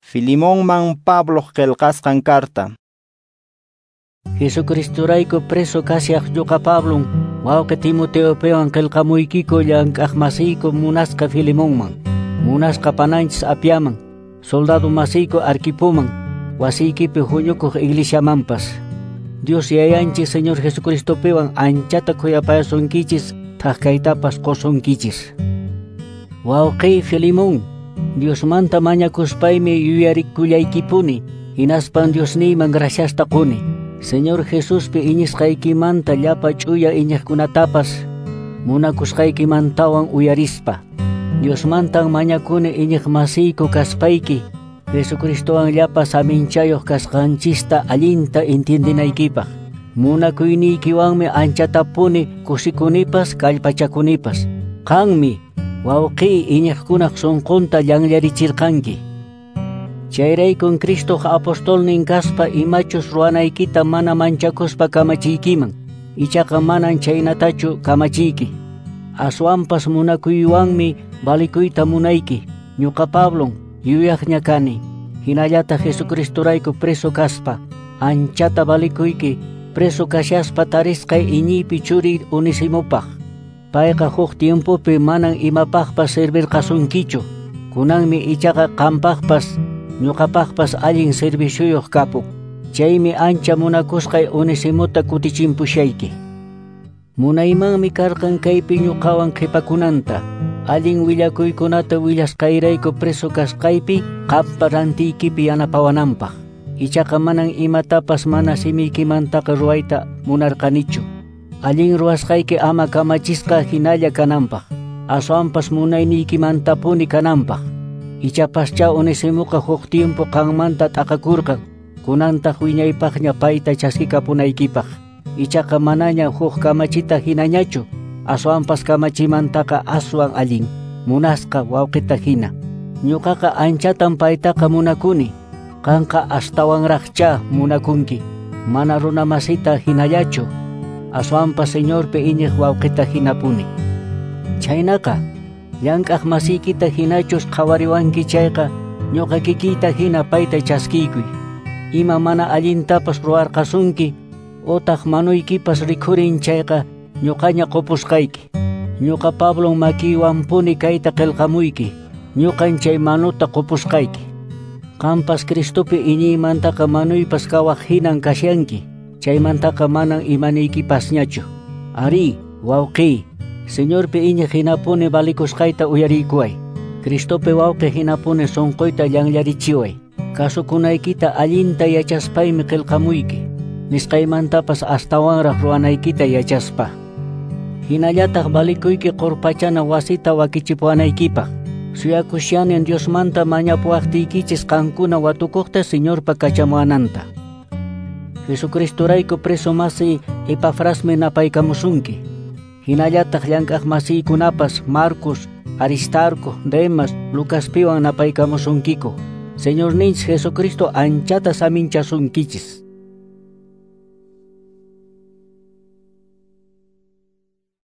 Filimonman Pabloq qillqasqan carta. Jesucristorayku preso kashaq ñuqa Pablon, wawqi Timoteopiwan qillqamuykiku llank'aqmasiyku munasqa Filimonman, munasqa pananchis Apiaman, soldado masiyku Arquipoman, wasiykipi huñukuq iglesiamanpas. Dios yayanchis Señor Jesucristopiwan anchata khuyapayasunkichis, thak-kaytapas qusunkichis. Wawqi Filimón, Diosmanta mañakuspaymi yuyarikullaykipuni, hinaspan Diosniyman graciasta quni. Señor Jesuspi iñisqaykimanta llapa ch'uya iñiqkunatapas munakusqaykimantawan uyarispa. Diosmantan mañakuni iñiqmasiyku kaspayki, Jesucristowan llapa saminchayuq kasqanchista allinta entiendinaykipaq. Munakuyniykiwanmi anchatapuni kusikunipas kallpachakunipas. Qanmi wawqi iñiqkunaq sunqunta llanllarichirqanki. Chayraykun Cristoq apostolnin kaspa imachus ruwanaykita mana manchakuspa kamachiykiman, ichaqa manan chaynatachu kamachiyki. Aswanpas munakuywanmi valikuyta munayki. Ñuqa Pablon yuyaqña kani, hinallataq Jesucristorayku preso kaspa, anchata valikuyki preso kashaspa tarisqay iñiypi churiy Onesimopaq. Payqa huk tiempopi manan imapaqpas servirqasunkichu, kunanmi ichaqa qampaqpas ñuqapaqpas allin servicioyuq kapun. Chaymi ancha munakusqay Onesimota kutichimpushayki. Munaymanmi karqan kaypi ñuqawan qhipakunanta, allin willakuykunata willasqayrayku preso kasqaypi qampa rantiykipi yanapawananpaq. Ichaqa manan imatapas mana simiykimantaqa ruwayta munarqanichu. Allin ruwasqayki ama kamachisqa hinalla kananpaq, aswanpas munayniykimantapuni kananpaq. Ichapascha Onesimoqa huk tiempo qanmanta t'aqakurqan, kunantaq wiñaypaqña payta chaskikapunaykipaq. Ichaqa manaña huk kamachita hinañachu, aswanpas kamachimantaqa aswan allin, munasqa wawqita hina. Ñuqaqa anchatan paytaqa munakuni, qanqa astawanraqcha munakunki, mana runamasita hinallachu, aswanpas Señorpi iñiq wawqita hinapuni. Chaynaqa, llank'aq masiykita hinachus qhawariwanki chayqa, ñuqa kikiyta hina payta chaskiykuy. Ima mana allintapas ruwarqasunki, utaq manuykipas rikhurin chayqa, ñuqaña qupusqayki. Ñuqa Pablon makiywanpuni kayta qillqamuyki, ñuqan chay manuta qupusqayki. Qampas Cristopi iñiymantaqa manuypas kawaq hinan kashanki, chaymantaqa manan imaniykipasñachu. Ari, wawqiy, Señorpi iñiq hinapuni valikusqayta uyariykuway. Cristopi wawqi hinapuni sunquyta llanllarichiway. Kasukunaykita allinta yachaspaymi qillqamuyki, nisqaymantapas astawanraq ruwanaykita yachaspa. Hinallataq valikuyki qurpachana wasita wakichipuwanaykipaq. Suyakushanin Diosmanta mañapuwaqtiykichis qankuna watukuqta Señorpa kachamuwananta. Jesucristorayku preso masiy Epafrasmi napaykamusunki. Hinallataq llank'aq masiykunapas Marcos, Aristarco, Demas, Lucaspiwan napaykamusunkiku. Señorninchis Jesucristo anchata saminchasunkichis.